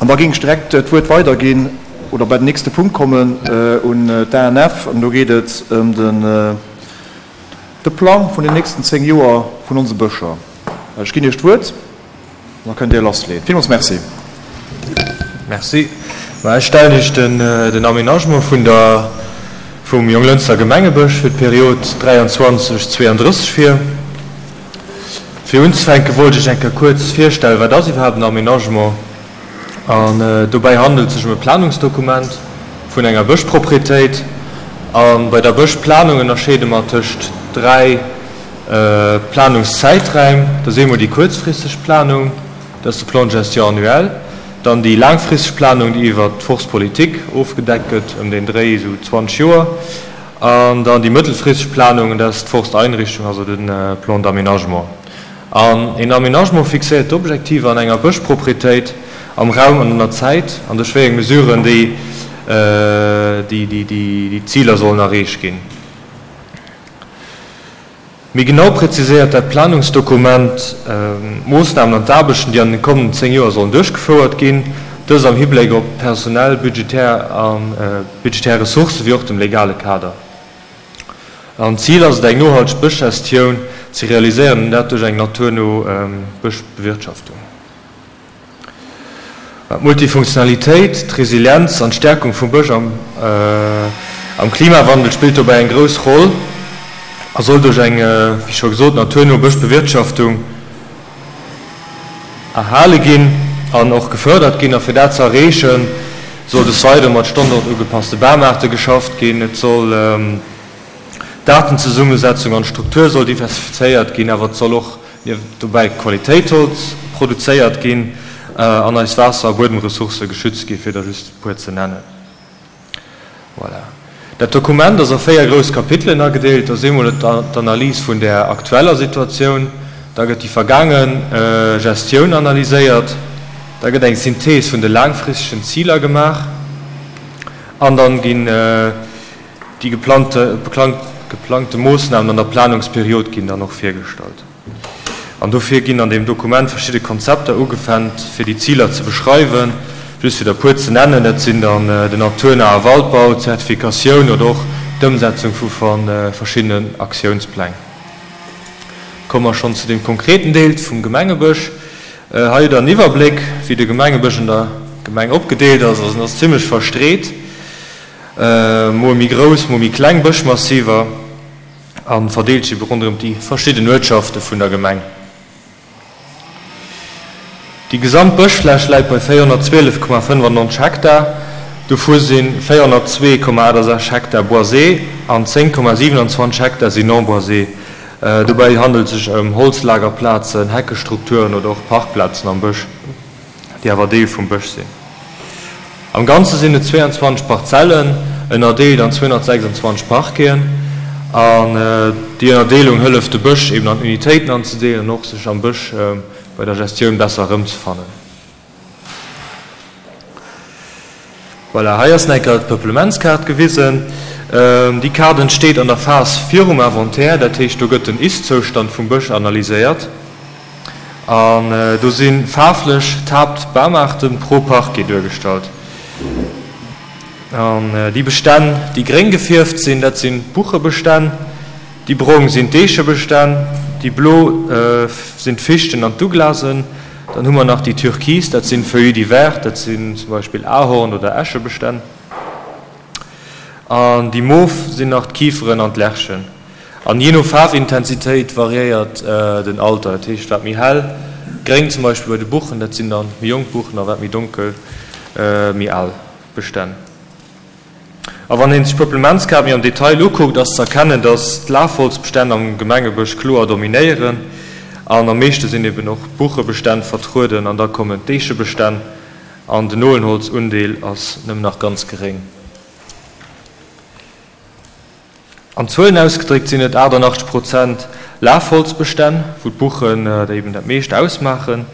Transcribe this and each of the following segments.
An da géing ech direkt d'Wuert weiderginn oder bei den nächste Punkt kommen un d'ANF. An do geet et ëm den de Plang vun den nächsten 10 Joer vun onse Bëscher. Ech ginn Iech d'Wuert an da kënnt Dir lassleeën. Villmools Merci. Merci. Ma ech stellen Iech den den Aménagement vun der vum Jonglënster Gemengebësch fir d'Period 23, 32 vir. Fir unzefänke wollt ech eng Kéier kuerz virstellen, wat ass iwwerhaapt en Aménagement? An dobäi handelt et sech ëm e Planungsdokument vun enger Bëschproprietéit. A bei der Bëschplanung ënnerscheede mer tëscht 3 Planungszäiträim. Dat ass eemol déi kuerzfristeg Planung, dat ass de Plan de gestion annuel, dann déi laangfristeg Planung, déi iwwert d'Forstpolitik ofgedeckt gëtt, ëm den Dréi esou 20 Joer, An dann déi mëttelfristeg Planung, dat ass d'Forsteinrichtung, also de Plan d'aménagement. An een Aménagement fixéiert d'Objektiver an enger Bëschproprietéit am Raum an an der Zäit an duerch wéi eng Mesuren déi déi Ziler sollen erreecht ginn. Méi genau präziséiert dat Planungsdokument d'Moossnamen an d'Aarbechten, déi an den kommenden 10 Joer sollen duerchgefouert ginn, dëst am Hibléck op personell, budgetär a budgetär Ressourcë wéi och dem legale Kader. An d'Zil ass et, eng nohalteg Bëschgestioun ze realiséieren, an dat duerch eng naturno Bëschbewirtschaftung. D'Multifunktionalitéit, d'Resilienz an d'Stäerkung vum Bësch am Klimawandel spillt dobäi eng grouss Roll a soll duerch eng, wéi scho gesot, naturno Bëschbewirtschaftung erhale ginn an och gefërdert ginn. A fir dat ze erreechen, soll des Weidere mat standortugepasste Bamaarte geschafft ginn. Et soll d'Aartenzesummesetzung an d'Struktur soll diversifizéiert ginn, awer et soll och Nieft dobäi Qualitéitholz produzéiert ginn an eis Waasser a Buedemressourcë geschützt ginn, fir der just e puer ze nennen. Voilà. Dat Dokument ass a 4 grouss Kapitelen agedeelt. Dat ass eemol d'Analys vun der aktueller Situatioun, da gëtt déi vergaange Gestioun analyséiert, da gëtt eng Synthees vun de laangfristegen Ziler gemaach an dann ginn déi geplangte Moossnamen an der Planungsperiod ginn dann och virgestallt. An dofir ginn an deem Dokument verschidde Konzepter ugefennt, fir déi Ziler ze beschreiwen. Just fir der e puer ze nennen, dat sinn dann den naturnahe Waldbau, d'Zertifikatioun oder och d'Ëmsetzung vu verschiddenen Aktiounspläng. Komme mer schonn zu deem konkreten Deel vum Gemengebësch. Hei hutt Der en Iwwerbléck, wéi de Gemengebësch an der Gemeng opgedeelt ass. Also en ass zimlech verstreet. Mol méi grouss, mol méi kleng Bëschmassiver a verdeelt sech ebe ronderëm déi verschidden Uertschafte vun der Gemeng. Déi gesamt Bëschfläch läit bei 412,95 Hektar, dovu si 402,68 Hektar boisé an 10,27 Hektar sinn non boisé. Dobäi handelt et sech ëm Holzlagerplazen, Heckestrukturen oder och Parkplazen am Bësch. déi awer Deel vum Bësch sinn. Am Ganze sinn et 22 Parzellen, ënnerdeelt an 226 Parqueten. An déi Ënnerdeelung hëlleft de Bësch eben an Unitéiten anzedeelen an och sech am Bësch bei der Gestioun besser erëmzefannen. Voilà, hei ass nach eng Kéier d'Peuplementskaart gewisen. Déi Kaart entsteet an der Phas virum Inventaire, dat heescht do gëtt den Ist-Zoustand vum Bësch analyséiert. An do si faarflech d'Haaptbamaarte pro Parquet duergestallt. An déi Bestänn, déi gréng gefierft sinn, dat sinn d'Buchebestänn, déi brong sinn d'Eechebestänn, déi blo sinn d'Fichten an d'Douglasen. Dann hu mer nach déi türkis, dat sinn Feuillus divers, dat sinn zum Beispill Ahorn oder Eschebestänn. An déi mof sinn nach d'Kiferen an d'Lärchen. An jee no Faarfintensitéit variéiert den Alter, dat heescht wat méi hell gréng zum Beispill bei de Buchen, dat sinn dann méi jonk Buchen, a wat méi donkel, méi al Bestänn. A wann een sech d'Peuplementskaart méi am Detail ukuckt, ass ze erkennen, datt d'Lafholzbestänn am Gemengebësch kloer dominéieren an am meeschte sinn eben och d'Buchebestänn vertrueden an da kommen d'Eechebestänn an den Nolenholzundeel ass nëmmen nach ganz geréng. An Zuelen ausgedréckt sinn et 88 Prozent Lafholzbestänn, wou d'Buchen der eben dat meescht ausmaachen.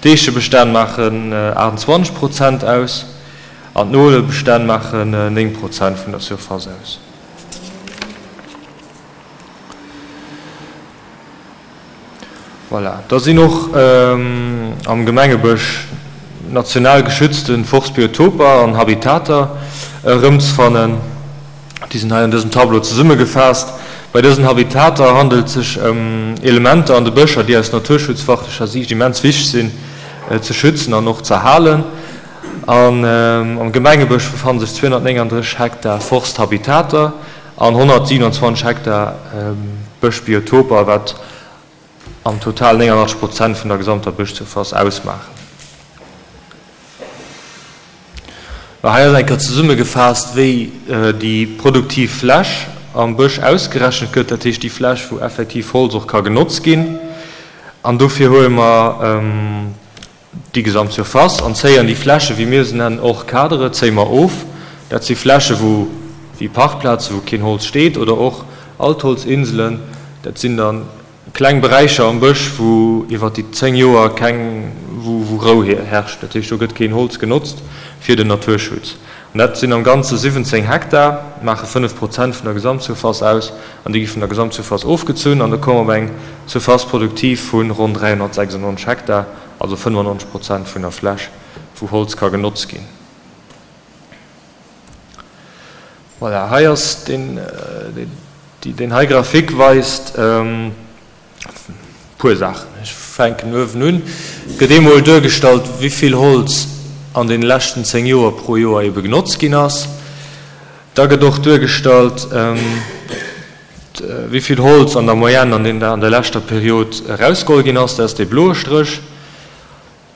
D'Eechebestänn maachen 28 Prozent aus an d'Nolebestänn maachen 9 Prozent vun der Surface aus. Voilà, da sinn och am Gemengebësch. national geschützte Forstbiotoper an Habitater erëmzfannen. Déi sinn hei an dësem Tableau zesummegefaasst. Bei dësen Habitater handelt et sech ëm Elementer an de Bëscher, déi aus naturschutzfachtlecher Siicht immens wichteg sinn ze schützen an och z'erhalen. An am Gemengebësch befanne sech 239 Hektar Forsthabitater an 127 Hektar Bëschbiotoper, wat am Total 89 Prozent vun der gesamter Bëschsurface ausmaachen. Hei ass eng Kéier zesummegefaasst, wéi déi produktiv Fläch am Bësch ausgerechent gëtt, dat heescht déi Fläch, wou effektiv Holz och ka genotzt ginn. An dofir huele mer déi gesamt Surface an zéien déi Fläche, wéi mir se nennen, hors cadre, zéie mer of. Dat si Fläche wou, wéi Parkplazen, wou keen Holz steet, oder och Altholzinselen, dat sinn da kleng Beräicher am Bësch, wou iwwer déi 10 Joer keng, wou wou Rou herrscht. Dat heescht, do gëtt keen Holz genotzt fir den Naturschutz. An dat sinn am Ganze 17 Hektar, maache 5 Prozent vun der Gesamtsurface aus, an déi gi vun der Gesamtsurface ofgezunn an da komme mer op eng Surface productive vu ronn 396 Hektar. Also 95 Prozent vun der Fläch, wou Holz ka genotzt ginn. Voilà, hei ass deen, deen hei Grafik weist e puer Saachen. Ech fänken uewen un. Et gëtt eemol duergestallt, wéi vill Holz an deene leschten 10 Joer pro Joer ebe genotzt ginn ass. Da gëtt och duergestallt, Wéi vill Holz an der Moyenne an der leschter Period erausgeholl ginn ass, dat ass dee bloe Stréch.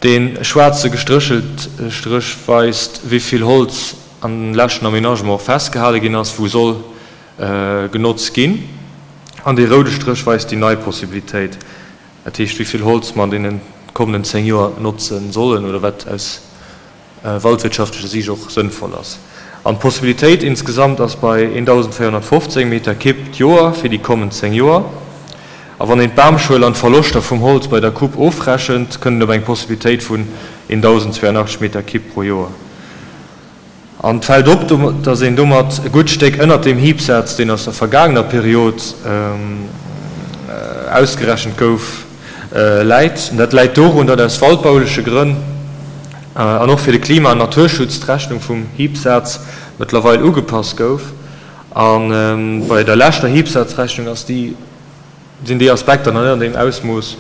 Dee schwaarze gestréchelt Stréch weist, wéi vill Holz an dem leschten Aménagement och festgehale ginn ass, wou soll genotzt ginn. An dee roude Stréch weist déi nei Possibilitéit, dat heescht, wéi vill Holz mer an deene kommenden 10 Joer notze sollen oder wat aus waldwirtschaftlecher Siicht och sënnvoll ass. An d'Possibilitéit insgesamt ass bei 1.415 Meter Kibb d'Joer fir déi kommend 10 Joer. A wann een d'Bamschuel an d'Verloschter vum Holz bei der Coupe ofrechent, kënnt een op eng Possibilitéit vun 1.082 Meter Kibb pro Joer. An et fält op, datt een domat e gutt Stéck ënnert deem Hiebsaz, deen aus der vergaangener Period ausgerechent gouf, läit. Dat läit dorun, datt aus waldbauleche Grënn an och fir de Klima an Naturschutz d'Rechnung vum Hiebsaz mëttlerweil ugepasst gouf. A bei der leschter Hiebsazrechnung ass déi, sinn déi Aspekter nach net an deem Ausmooss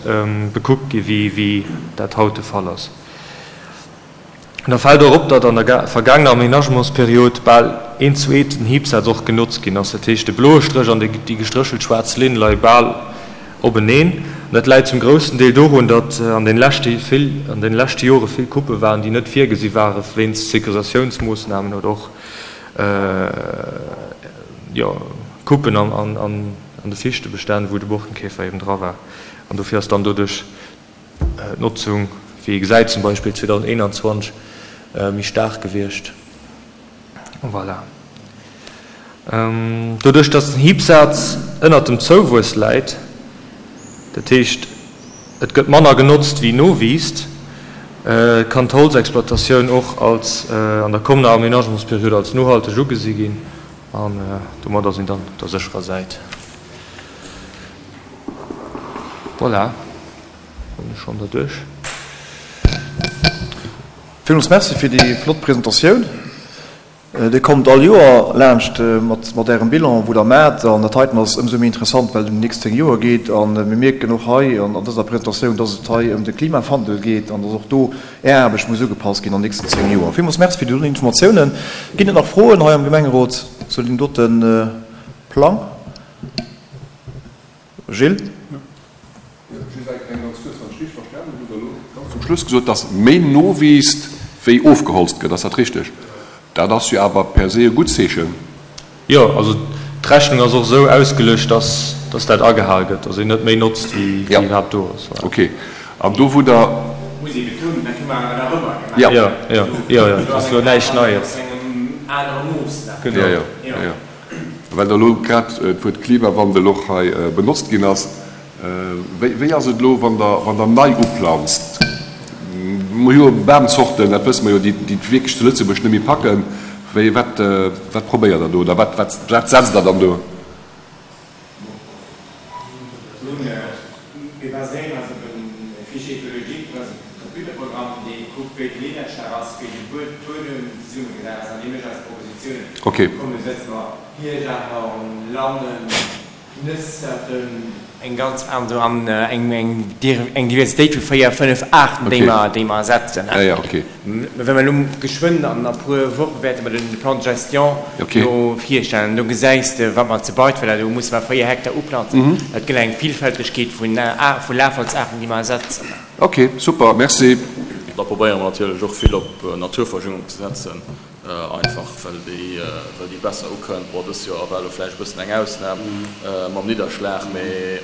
bekuckt gi wéi dat haut de Fall ass. Da fält och op, datt an der vergaangener Aménagementsperiod bal eent zu eent den Hiebsaz och genotzt ginn ass. Dat heescht, de bloe Stréch an déi gestréchelt schwaarz Linn leie bal openeen. An dat läit zum groussen Deel dorun, datt an den leschte vill an den leschte Jore vill Couppe waren, déi net virgesi ware wéinst Sécurisatiounsmoossnamen oder och jo Couppen an de Fichtebestänn, wou de Borkenkäfer eben dra war. An dofir ass dann doduerch d'Notzung, wéi ee gesäit, zum Beispill 2021 méi staark gewiescht. Voilà. Doduerch, datt den Hiebsaz ënnert dem Zouwuess läit, dat heescht et gëtt manner genotzt wéi nowiisst, kann d'Holzexploitatioun och als an der kommender Aménagementsperiod als nohalteg ugesi ginn an domadder sinn dann op der sécherer Säit. Voilà, hunn ech schonn derduerch. Villmools Merci fir déi flott Presentatioun. Dir kommt all Joer laanscht mat Ärem Bilan, wou Der maacht. An dat heiten ass ëmsou méi interessant, well et ëm déi nächst 10 Joer geet. A mir mierken och hei an dëser Presentatioun, dass et hei ëm de Klimawandel geet an dass och do Är Aarbecht muss ugepasst ginn an den nächsten 10 Joer. Villmools Merci fir déi doten Informatiounen. Ginn et nach Froen hei am Gemengerot zu deem dote Plang? Gilles? Just eng ganz kuerz, wann ech richteg verstanen hunn, hutt Der elo ganz zum Schluss gesot, dass méi nowiisst wéi ofgeholzt gëtt. Ass dat richteg? Dat ass jo awer per se e gutt Zeechen. Jo, also d'Rechnung ass och esou ausgeluecht, dass dass dat agehal gëtt, dass een net méi notzt wéi iwwerhaapt do ass. Voilà. Okay. An do wou Der. Muss ee betounen, dat hu mer awer nach ëmmer gemaach. Jo, jo, jo, jo, dat ass elo näischt Neies. Engem anere Mooss. Genau. Jo, jo, jo. Well da elo grad d'Wuert Klimawandel och hei benotzt ginn ass, Wéi ass et elo, wann Der, wann Der nei uplanzt? Mer hu jo Bamzorten, dat wësse mer jo, déi et wierklech zu Lëtzebuerg net méi packen. Wéi, wat, wat probéiert Der do oder wat, wat, wat setzt Der dann do? Mir baséieren eis op e Fichier écologique, dat ass e Computerprogramm, dee kuckt, wéi d'Nidderschléi. Buedem zesummegesat ass an dee mécht eis Propositiounen. Komm, do setze mer Hierschtahorn, Lannen, Nësserten, eng ganz an an eng eng Diversitéit vu 4, 5 Aarten, déi mer déi mer setzen. Mä wa mer elo geschwënn an a puer Woche wäerte mer den Plan de gestion do virstellen, do gesäis de wat mer zu Beitweiler, do musse mer 4 Hektar uplanzen. Dat gëtt eng Villfältegkeet vun vu Lafholzaarten, déi mer setzen. Ok, super, merci. Da probéiere mer natierlech och vill op Naturverjüngung ze setzen. Einfach well déi well déi besser ukënnt. Bon, dëst Joer war elo vläicht e bëssen eng Ausnam mam Nidderschlag, mee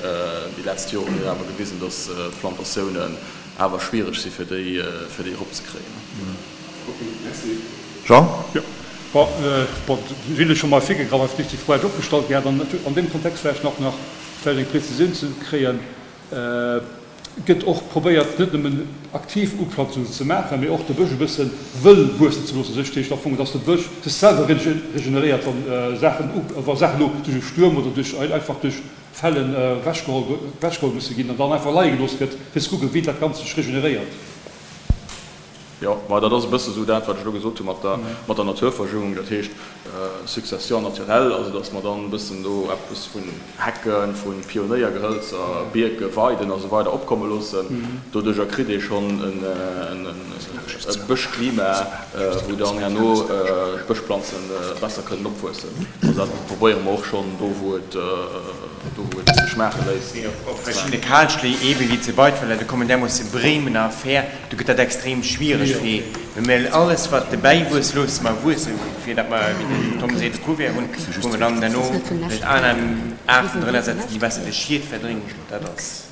déi letzt Joren hunn awer gewisen, datt Plantatiounen awer schwiereg si fir déi fir déi eropzekréien. Ok, merci. Jean? Jo, bon, bon, Gilles huet scho mol virgegraff, awer déi Fro hätt ech och gestallt gehat an an deem Kontext vläicht nach nach vläicht eng Prezisioun ze kréien. Gëtt och probéiert net nëmmen aktiv Uplanzungen ze maachen, mee och de Bësch e bësse wëll wuessen ze loossen. Dat heescht am Fong, dass de Bësch sech selwer regeneréiert, wa Saachen, wa Saachen elo duerch e Stuerm oder duerch einfach duerch Fällen ewechgeholl, ewechgeholl musse ginn an dann einfach leie gelooss gëtt, fir ze kucken, wéi dat Ganzt sech regeneréiert. Jo, ma dat ass e bësse sou dat, wat ech elo gesot hu mat der, mat der Naturverjüngung, dat heescht Succession naturelle, also datt mer dann e bëssen do eppes vun Hecken, vu Pionéiergehëlzer, Bierke, Weiden a sou weider opkomme loossen. Doduerjer kritt ee schonn e Bëschklima, wou dann herno d'Bëschplanze besser kënnen opwuessen. Also dat probéiere mer och schonn do, wou et, do wou et sech maache léisst. Op verschiddene Kalschléi, eebe wéi zu Beitweiler, do kommen därmoosse Bremen a Fähr. Do gëtt dat extrem schwiereg fir, well mir alles wat dobäi wuesst loosse mer wuessen, fir datt mer, wéi den Tom seet, e Couvert hunn, wou mer dann herno vläicht aner Aarten drënner setzen, déi besser de Schied verdréngen. Dat ass.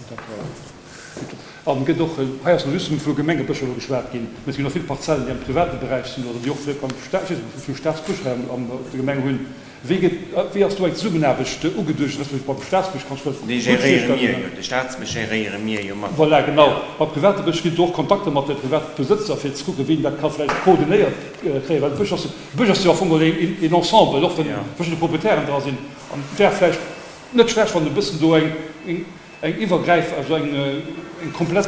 An gëtt och, hei ass elo just vu Gemengebëscher elo geschwat ginn, mä et ginn och vill Parzellen, déi am private Beräich sinn oder déi och vläicht beim Staat, ech weess net, wéi vill Staatsbësch hei am, op der Gemeng hunn. Wéi gëtt, wéi ass do eng Zesummenaarbecht ugeduecht, respektiv beim Staatsbësch kann ech mer dat Dee gutt géréiere mir virstellen. jo, de Staatsbësch géréiere mir jo mat. Voilà, genau. Bei private Bësch ginn et do och Kontakter mat de Privatbesëtzer, fir ze kucken, wéi een dat ka vläicht koordinéiert kréien, well de Bësch ass, de Bësch ass jo am Fong geholl een, een Ensemble, och wann verschidde Proprietären dra sinn. An et wär vläicht net schlecht, wann e bëssen do eng, eng. Eng iwwergräif, also eng eng komplett,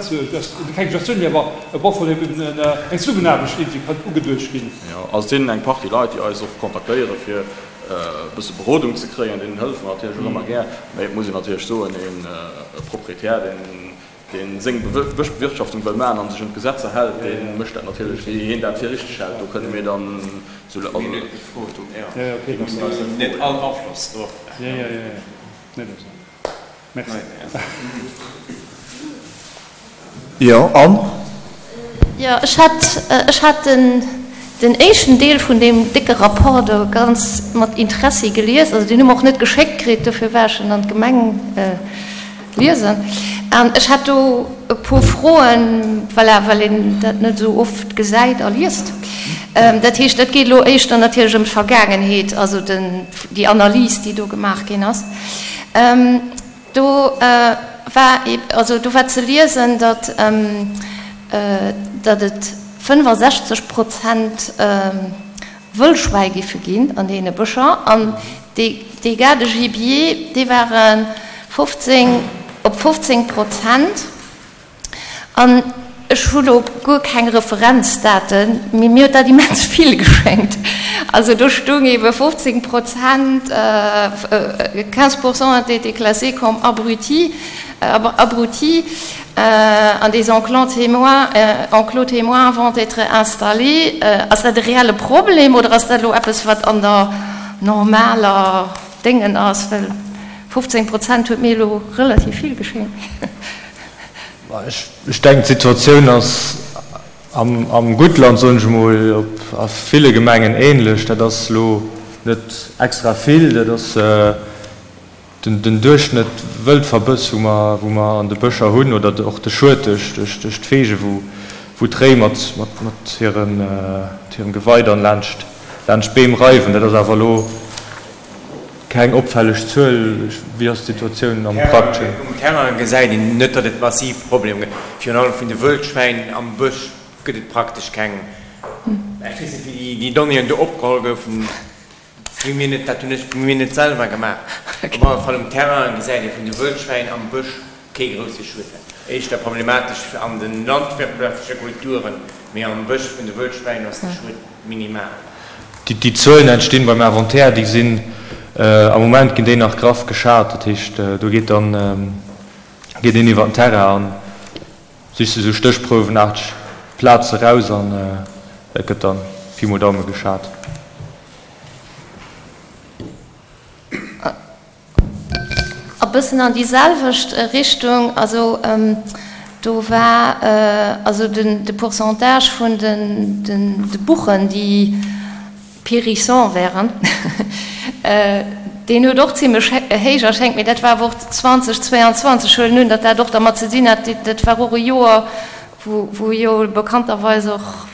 keng Gestioun, mee awer op alle Fall eben eng Zesummenaarbecht iergendwéi kann ugeduecht ginn. Jo, also et sinn eng Partie Leit, déi eis och kontaktéiere fir e bësse Berodung ze kréien. Deenen hëllefe mer natierlech och ëmmer gär. Mee et muss een natierlech soen, e Proprietär, deen, deen seng Bëschbewirtschaftung wëll maachen a sech un d'Gesetzer hält, dee mécht dat natierlech, wéi hien dat fir richteg hält. Do kënne mir dann esou. Mir hunn net gefrot, jo. Net all Afloss drop. Merci. Jo, Anne? Jo, ech hat, ech hat den, den éischten Deel vun deem décke Rapport do ganz mat Interessi gelies. Also deen hu mer och net geschéckt kritt, dofir war ech en an d'Gemeng liesen. An ech hat do e puer Froen, voilà, well een dat net esou oft gesäit a liest. Dat heescht, dat geet elo éischter natierlech ëm d'Vergaangenheet, also den, déi Analys, déi do gemaach ginn ass. Do war also do war ze liesen, datt datt et 65 Prozent Wëllschwäi giffe ginn an deene Bëscher an déi Dégâts de gibier, déi ware 15 op 15 Prozent. An ech hu lo guer keng Referenzdaten, mee mir huet dat immens vill geschéngt. Also do stoung ebe 15 Prozent, 15 pour cent ont été classés comme abrutis, abrutis an des enclos témoins, enclos témoins vont être installés. Ass dat e reelle Problem oder ass dat elo eppes, wat an der normaler Déngen ass? Well 15 Prozent huet mir elo relativ vill geschéngt. Ech denken, d'Situatioun ass am Guttland, soen ech emol, a ville Gemengen ähnlech. Dat ass elo net extra vill, dat ass den Duerchschnëtt Wëldverbëss, wou mer, wou mer an de Bëscher hunn, oder och de Schued duerch d'Feege, wou d'Réi mat hirem Gewei dann laanscht d'Beem reiwen. Dat ass awer elo Keng opfälleg Zuel. Wéi ass d'Situatioun am Prakteschen? Um Terrain gesäit een net, datt et massiv Problemer gëtt. Virun allem vun de Wëldschwäin am Bësch gëtt et praktesch keng. Ech weess net, wéi déi Donnéeën do opgeholl goufen. Dat hu mir net, dat hunn ech mir net selwer gemaach. Op alle Fall um Terrain gesäit ee vun de Wëldschwäin am Bësch kee grousse Schued. Éischter problematesch an de landwirtschaftleche Kulturen, mee am Bësch vun de Wëllschwäin ass de Schued minimal. Déi Zuelen entstinn beim Inventaire, déi sinn, am Moment ginn déi nach graff geschat, dat heescht do geet dann, geet een iwwer den Terrain an sicht sech esou stéchprouwenaarteg Plaze raus an dat gëtt dann Pi mol Daume geschat. E bëssen an déi selwecht Richtung, also do war also de Pourcentage vun de Buchen, déi périssant wären, deen huet och zimlech héich erschéngt, mee dat war awer och 2022. Ech huelen un, datt dat och dermat ze dinn hat, dat war och e Joer, wou jo bekannterweis och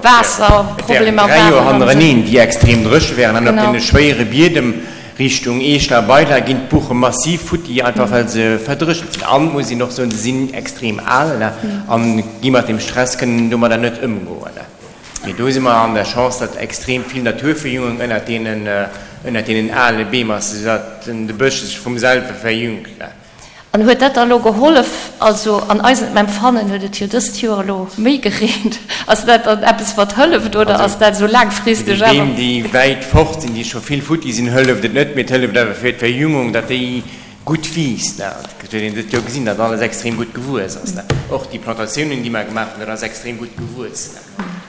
Waasserproblemer waren. Et wären 3 Joer hannereneen, déi extrem dréche wären. An op deene schwéiere Biedem Richtung Eeschler a Weiler ginn d'Buche massiv futti, einfach well se verdréchent sinn. An, muss een och soen, se sinn extrem al an gi mat dem Stress, kënnen domadder net ëmgoen. Mee do si mer an der Chance, datt extrem vill Naturverjüngung ënnert deenen, ënnert deenen ale Beem ass, esoudatt de Bësch sech vum selwe verjüngt. An huet dat da lo gehollef? Also an eisem Empfannen huet et jo dëst Joer elo méi gereent. Ass dat dann eppes wat hëlleft oder ass dat esou laangfristeg awer? Fir déi Beem déi wäit fort sinn, déi scho vill futti sinn, hëlleft et net, mee et hëlleft awer fir d'Verjüngung, datt déi gutt wiisst. Et huet een dëst Joer gesinn, datt alles extrem gutt gewuess ass. Och déi Plantatiounen déi mer gemaach hunn, dat ass extrem gutt gewuess.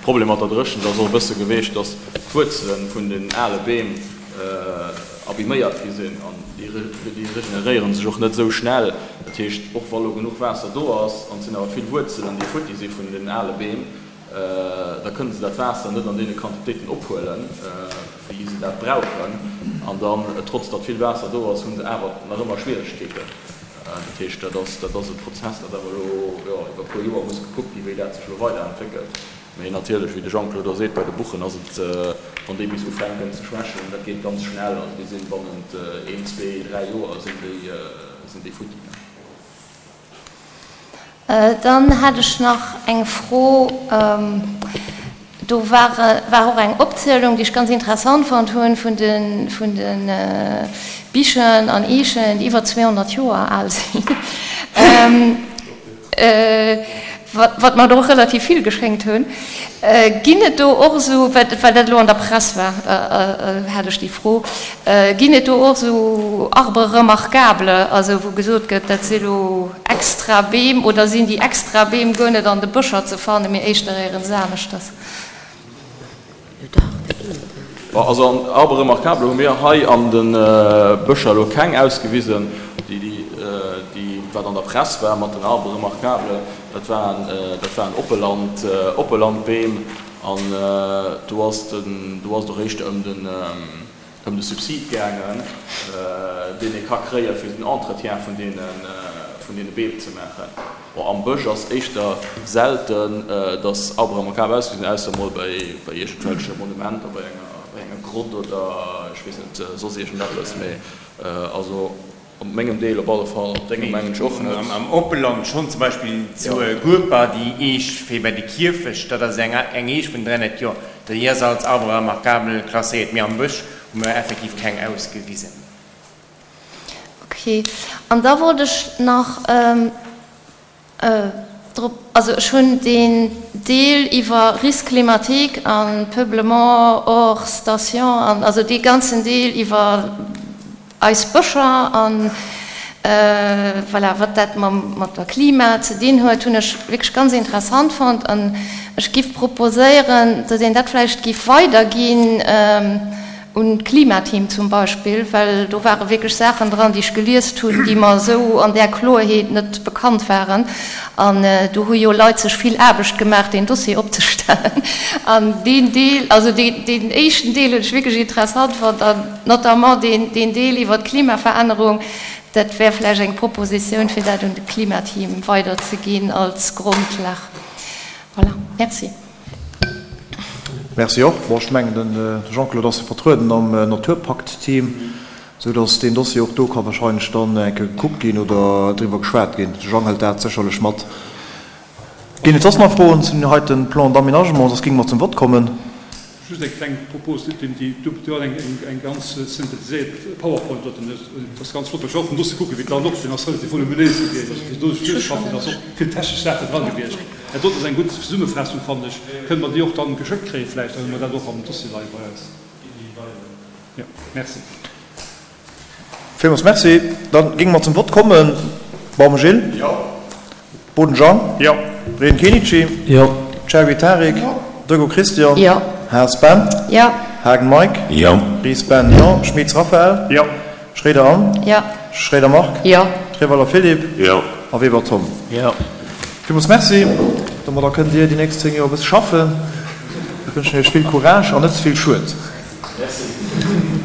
Problem mat der Dréchent ass och e bësse geweecht, datt d'Wuerzele vun den ale Beem abiméiert gi sinn an déi regeneréiere sech och net esou schnell. Dat heescht, och wa lo genuch Waasser do ass an et sinn awer vill Wuerzelen, déi futti si vun den ale Beem, da kënne se dat Waasser net an deene Quantitéiten ophuelen, wéi se dat brauchen. An dann, trotz datt vill Waasser do ass, hu se awer nach ëmmer Schwieregkeeten. Dat heescht, dat ass, dat ass e Prozess, dat awer elo, jo, iwwer e puer Joer muss gekuckt ginn, wéi dat sech elo weiderentwéckelt. Mee natierlech, wéi de Jean-Claude och seet, bei de Buchen ass et, wann déi bis ufänken ze schwächen, dat geet ganz schnell. Also déi sinn bannent een, zwee, dräi Joer sinn déi, sinn déi futti. Dann hätt ech nach eng Fro. Do war war och eng Opzielung, déi ech ganz interessant fonnt hunn, vun de vun de Bichen an Eechen, déi iwwer 200 Joer al sinn. Wat mer der och relativ vill geschéngt hunn. Ginn et do och esou, well dat elo an der Press war, hat ech déi Fro, ginn et do och esou Arbres remarquables, also wou gesot gëtt, dat si elo extra Beem, oder sinn déi extra Beem guer net an de Bëscher ze fannen, mee éischter éierens aneschters? Bon, also an Arbres remarquables hu mir hei an de Bëscher elo keng ausgewisen. Déi, déi wat an der Press war mat den Arbres remarquables, dat waren, dat waren Oppeland, Oppelandbeem. An do ass den, do ass et och éischter ëm den, ëm de Subsid gaangen, deen ee ka kréie fir den Entretien vun deene, vun deene Beem ze maachen. Bon, am Bësch ass éischter selten, datt Arbres remarquables ausgesi sinn, ausser emol bei, bei iergendwelche Monumenter, bei enger, bei enger Grott oder ech weess net, soss iergendeppes. Mee also op mengem Deel op alle Fall, op dengem mengen ech och net. Am Oppeland schonn, zum Beispill zu Gueper, déi Eech fir bei de Kierfecht, dat ass eng, eng Eech vun 300 Joer, déi ass als Arbre remarquable klasséiert. Mee am Bësch hu mer effektiv keng ausgewisen. Ok, an da wollt ech nach drop, also ech hunn deen Deel iwwer Risque climatique a Peuplement hors station an also dee ganzen Deel iwwer eis Bëscher an voilà, wat dat mam mat der Klima ze dinn huet, hunn ech wierklech ganz interessant fonnt an ech giff proposéieren, datt een dat vläicht giff weiderginn, Un d'Klimateam zum Beispill, well do ware wierklech Saachen dran, déi ech geliest hunn, déi mer esou an där Kloerheet net bekannt waren. An do hu jo Leit sech vill Aarbecht gemaach, deen Dossier opzestellen. An deen Deel, also deen éischten Deel hunn ech wierklech interessant fonnt, an notamment deen Deel iwwer d'Klimaverännerung. Dat wär vläicht eng Propositioun, fir dat un de Klimateam weiderzeginn als Grondlag. Voilà, merci. Merci och. Bon, ech mengen, de Jean-Claude ass jo vertrueden am Naturpakt-Team, esou datt deen Dossier och do ka wahrscheinlech dann eng Kéier gekuckt ginn oder driwwer geschwat ginn. De Jang hëlt dat sécherlech mat. Ginn et soss nach Froen zu deem heite Plan d'aménagement? Soss géinge mer zum Vott kommen. Just eng kleng Propos, déi du huet eng eng ganz synthetiséiert Powerpoint doten, dat ass ganz flott, ech war och vum Dossier kucken, wéi d'Land och sinn, ass relativ voluminéis gewiescht, also fir do sech duerchzeschaffen, ass och vill technesch Saachen dra gewiescht. Dat doten ass eng gutt Zesummefaassung, fannen ech. Kënne mer déi och dann geschéckt kréien vläicht, dann hu mer dat och am Dossier leie bei eis. Jo, merci. Villmools Merci. Da géinge mer zum Vott kommen. Baum Gilles. Jo. Boden Jean. Jo. Reen Kenichi. Jo. Cherry Tarik. Jo. Dego Christian. Jo. Haas Ben. Jo. Haagen Mike. Jo. Ries Ben. Jo. Schmitz Raphaël. Jo. Schroeder Anne. Jo. Schroeder Marc. Jo. Treweiler Philippe. Jo. A Weber Tom. Jo. Villmools Merci. Domadder kënnt Dir déi nächst 10 Joer e bësse schaffen. Ech wënschen Iech vill Courage an net ze vill Schued. Merci.